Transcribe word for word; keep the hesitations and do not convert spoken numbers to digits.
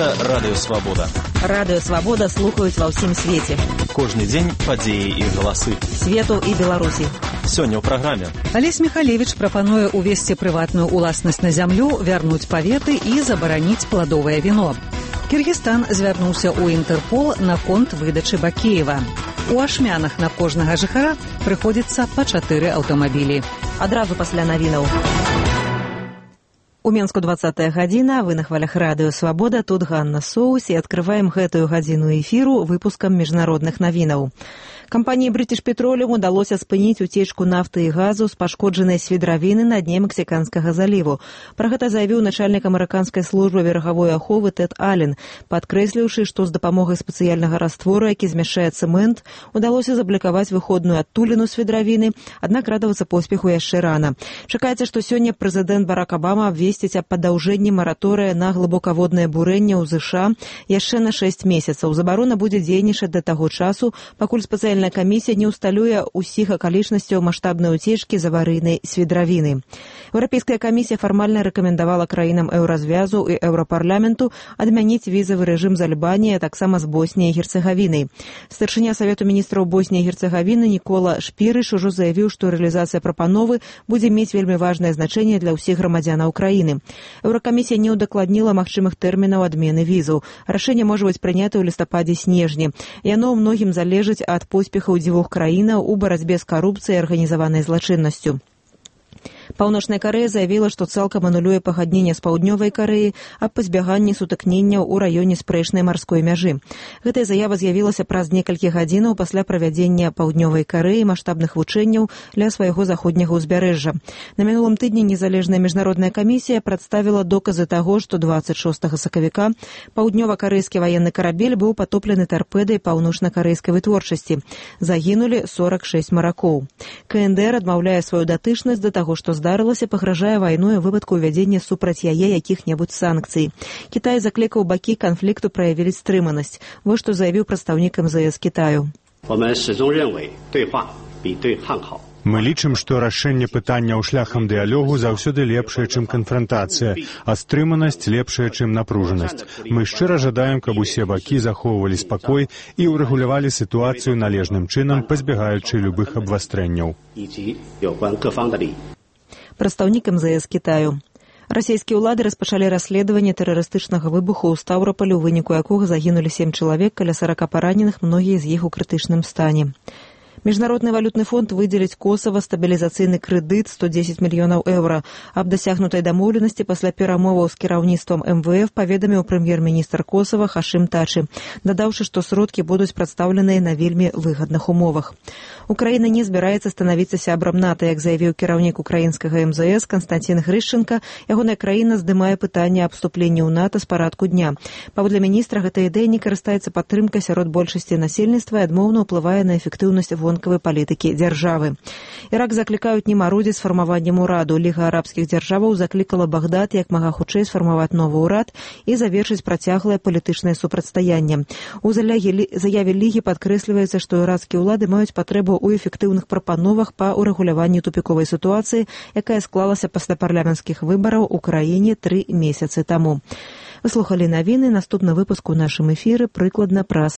Гэта Радыё Свабода. Радыё Свабода слухаюць ва ўсім свеце. Кожны дзень падзеі і галасы свету і Беларусі. Сёння ў праграме. Алесь Михалевич прапануе увесці прыватную ўласнасць на зямлю, вярнуць паветы і забараніць пладовае віно. Кіргізстан звярнуўся ў Інтэрпол наконт выдачы Бакеева. У Ашмянах на кожнага жыхара прыходзіцца па чатыры аўтамабілі. Адразу пасля навінаў. У Менску двадцатая гадзіна, вы на хвалях Радыё Свабода, тут Ганна Соус, і адкрываем гэтую гадзіну эфіру выпускам міжнародных навінаў. Кампаніі British Petroleum удалося спыніць уцечку нафты і газу з пашкоджанай свідравіны на дне Мексіканскага заліву. Пра гэта заявіў начальнік амерыканскай службы берагавой аховы Тэд Аллен, падкрэсліўшы, што з дапамогай спецыяльнага раствору, які змяшчае цэмент, удалося заблакаваць выходную адтуліну свідравіны, аднак радавацца поспеху яшчэ рана. Чакаецца, што сёння прэзідэнт Барак Абама абвесціць аб падаўжэнні мараторыя на глыбокаводнае бурэнне ў ЗША яшчэ на шэсць месяцаў. Забарона будзе дзейнічаць да таго часу, пакуль спецыяльная камісія не ўсталюе ўсіх акалічнасцяў маштабнай уцечкі з аварыйнай свідравіны. Еўрапейская камісія фармальна рэкамендавала краінам еўразвязу і еўрапарламенту адмяніць візавы рэжым з Альбаніяй, а таксама з Босніяй і Герцэгавінай. Старшыня Савету міністраў Босніі і Герцэгавіны Нікола Шпірыш ужо заявіў, што рэалізацыя прапановы будзе мець вельмі важнае значэнне для ўсіх грамадзянаў краіны. Еўракамісія не ўдакладніла магчымых тэрмінаў адмены візаў. Рашэнне можа быць прынята ў лістападзе-снежні. Яно ў многім залежыць ад поспехаў дзвюх краінаў у барацьбе з карупцыяй і арганізаванай злачыннасцю. Паўночная Карэя заявіла, што цалкам анулюе пагадненне з Паўднёвай Карэяй аб пазбяганні сутыкненняў у раёне спрэчнай марской мяжы. Гэтая заява з'явілася праз некалькі гадзінаў пасля правядзення Паўднёвай Карэі маштабных вучэнняў ля свайго заходняга ўзбярэжжа. На мінулым тыдні незалежная міжнародная камісія прадставіла доказы таго, што дваццаць шостага сакавіка паўднёва-карэйскі ваенны карабель быў патоплены тарпедай паўночна-карэйскай вытворчасці. Загінулі сорак шэсць маракоў. КНДР адмаўляе сваю датычнасць да таго, што здарылася, пагражае вайной у выпадку ўвядзення супраць яе якіх-небудзь санкцый. Кітай заклікаў бакі канфлікту праявілі стрыманасць. Вось што заявіў прадстаўнік эм зэ эс Кітаю. Мы лічым, што рашэнне пытанняў шляхам дыялогу заўсёды лепшае, чым канфрантацыя, а стрыманасць лепшая, чым напружанасць. Мы шчыра жадаем, каб усе бакі захоўвалі спакой і ўрэгулявалі сітуацыю належным чынам, пазбягаючы любых абвастрэнняў. Прадстаўнік эм зэ эс Кітаю. Расійскія ўлады распачалі расследаванне тэрарыстычнага выбуху ў Стаўропалі, у выніку якога загінулі сем чалавек, каля сарака параненых, многія з іх у крытычным стане. Міжнародны валютны фонд выдзеліць Косава стабілізацыйны крэдыт сто дзесяць мільёнаў еўра. Аб дасягнутай дамоўленасці пасля перамоваў з кіраўніцтвам эм вэ эф паведаміў прэм'ер-міністр Косава Хашым Тачы, дадаўшы, што сродкі будуць прадстаўленыя на вельмі выгадных умовах. Украіна не збіраецца станавіцца сябрам НАТО, як заявіў кіраўнік украінскага эм зэ эс Канстантин Грышченка. Ягоная краіна здымае пытанне аб уступленні ў НАТО з парадку дня. Паводле міністра, гэта ідэя не карыстаецца падтрымкай сярод большасці насельніцтва і адмоўна ўплывае на эфектыўнасць вонкавай палітыкі дзяржавы. Ірак заклікаюць не марудзіць з фармаваннем ураду. Ліга арабскіх дзяржаваў заклікала Багдад як мага хутчэй сфармаваць новы ўрад і завершыць працяглае палітычнае супрацьстаянне. У заяве Лігі падкрэсліваецца, што іракскія ўлады маюць патрэбу у эфектыўных прапановах па ўрэгуляванні тупіковай сітуацыі, якая склалася пасля парламенцкіх выбараў у краіне тры месяцы таму. Вы слухалі навіны, наступны выпуск у нашым эфіры прыкладна праз